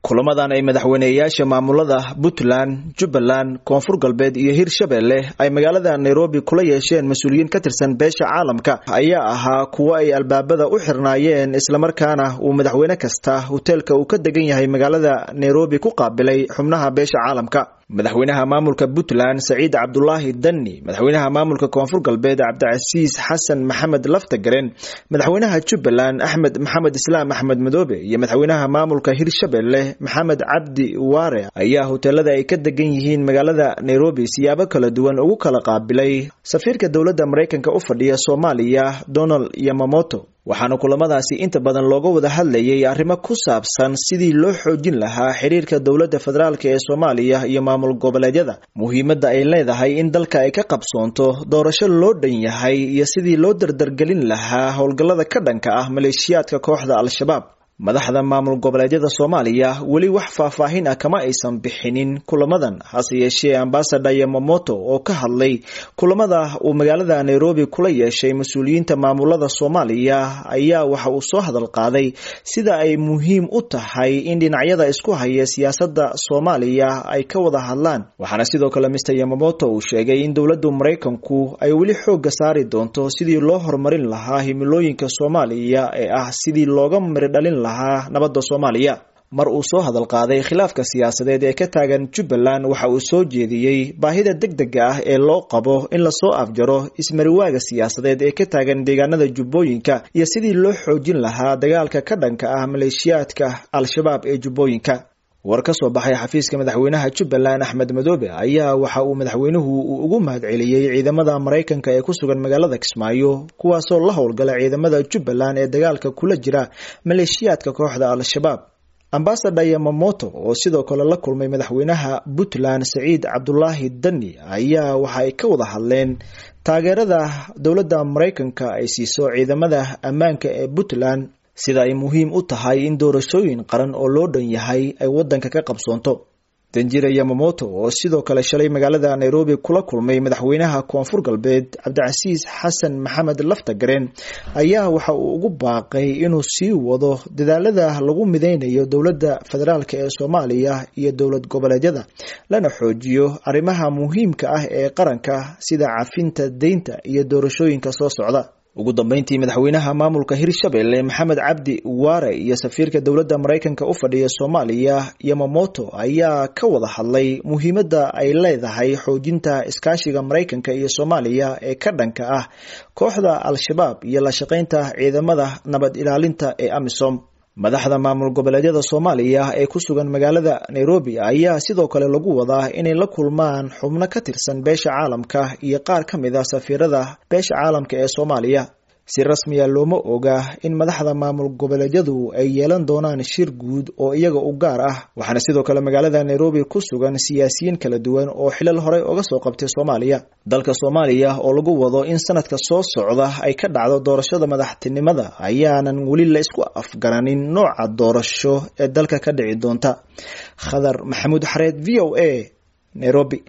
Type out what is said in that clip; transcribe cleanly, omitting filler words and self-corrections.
Kulamadan ay madaxweyneyaasha maamulada Puntland, Jubbaland, Koonfur Galbeed iyo Hirshabelle ay magaalada Nairobi kula yeesheen mas-uuliyiin ka tirsan beesha caalamka ayaa ahaa kuwo ay albaabada u xirnaayeen, islamarkaana uu madaxweyne kasta hoteelka uu ka degan yahay magaalada Nairobi ku qaabilay xubnaha beesha caalamka. Madaxweynaha maamulka Puntland Saciid Cabdulaahi Dani, madaxweynaha maamulka Koonfur Galbeed Cabdicasiis Xasan Maxamed Laftagaren, madaxweynaha Jubbaland Axmed Maxamed Islaam Axmed Madoobe iyo madaxweynaha maamulka Hirshabelle Maxamed Cabdi Waare ayaa hoteelada ay ka degan yihiin magaalada Nairobi siyaabo kala duwan ugu kala qaabilay safiirka dowladda Mareykanka u fadhiya Soomaaliya Donald Yamamoto. Waxaana kulamadaasi inta badan looga wada hadlayay arrimo ku saabsan sidii loo xoojin lahaa xiriirka dowladda federaalk ee Soomaaliya iyo maamul goboleedyada, muhiimadda ay leedahay in dalka ay ka qabsoonto doorasho loo dhan yahay iyo sidii loo dardargelin lahaa howlgallada ka dhanka ah maleeshiyaadka kooxda Al-Shabaab. Madaxda maamul goboleedyada Soomaaliya weli wax faahfaahin ah kama aysan bixinin kulamadan, hase yeeshee ambassador Yamamoto oo ka hadlay kulamada uu magaalada Nairobi kula yeeshay mas-uuliyiinta maamulada Soomaaliya ayaa waxa uu soo hadal qaaday sida ay muhiim u tahay in dhinacyada isku haya siyaasadda Soomaaliya ay ka wada hadlaan. Waxaana sidoo kale Mr Yamamoto uu sheegay in dowladda Mareykanku ay weli xoogga saari doonto sidii loo horumarin lahaa himilooyinka Soomaaliya ee ah sidii looga miridhalin lahaa nabadda Soomaaliya. Mar uu soo hadal qaaday khilaafka siyaasadeed ee ka taagan Jubbaland, waxa uu soo jeediyey baahida degdega ah ee loo qabo in lasoo afjaro ismariwaaga siyaasadeed ee ka taagan deegaanada Jubbooyinka iyo sidii loo xoojin lahaa dagaalka ka dhanka ah maleeshiyaadka Al-Shabaab ee Jubbooyinka. War ka soo baxay xafiiska madaxweynaha Jubbaland Axmed Madoobe ayaa waxa uu madaxweynuhu uu ugu mahadceliyey ciidamada Mareykanka ee ku sugan magaalada Kismaayo, kuwaasoo la howlgala ciidamada Jubbaland ee dagaalka kula jira maleeshiyaadka kooxda Al-Shabaab. Ambassador Yamamoto oo sidoo kale la kulmay madaxweynaha Puntland Saciid Cabdulaahi Dani ayaa waxa ay ka wada hadleen taageerada dowladda Mareykanka ay siiso ciidamada ammaanka ee Puntland, sida ay muhiim u tahay in doorashooyin qaran oo loo dhan yahay ay waddanka ka qabsoonto. Danjire Yamamoto oo sidoo kale shalay magaalada Nairobi kula kulmay madaxweynaha Koonfur Galbeed Cabdicasiis Xasan Maxamed Laftagaren ayaa waxa uu ugu baaqay inuu sii wado dadaalada lagu mideynayo dowladda federaalk ee Soomaaliya iyo dowlad goboleedyada, lana xoojiyo arrimaha muhiimka ah ee qaranka sida cafinta deynta iyo doorashooyinka soo socda. Ugu dambeyntii, madaxweynaha maamulka Hirshabelle Maxamed Cabdi Waare iyo safiirka dowladda Mareykanka u fadhiya Soomaaliya Yamamoto ayaa ka wada hadlay muhiimadda ay leedahay xoojinta iskaashiga Mareykanka iyo Soomaaliya ee ka dhanka ah kooxda Al-Shabaab iyo la shaqeynta ciidamada nabad ilaalinta ee AMISOM. Madaxda maamul goboleedyada Soomaaliya ee ku sugan magaalada Nairobi ayaa sidoo kale lagu wadaa inay la kulmaan xubno ka tirsan beesha caalamka iyo qaar ka mid ah safiirada beesha caalamka ee Soomaaliya. Si rasmiya looma oga in madaxda maamul goboleedyadu ay yeelan doonaan shir guud oo iyaga u gaar ah, waxaana sidoo kale magaalada Nairobi ku sugan siyaasiyiin kala duwan oo xilal horey uga soo qabtay Soomaaliya. Dalka Soomaaliya oo lagu wado in sanadka soo socda ay ka dhacdo doorashada madaxtinimada ayaanan weli la isku afgaranin nooca doorasho ee dalka ka dhici doonta. Khadar Maxamuud Xareed, VOA, Nairobi.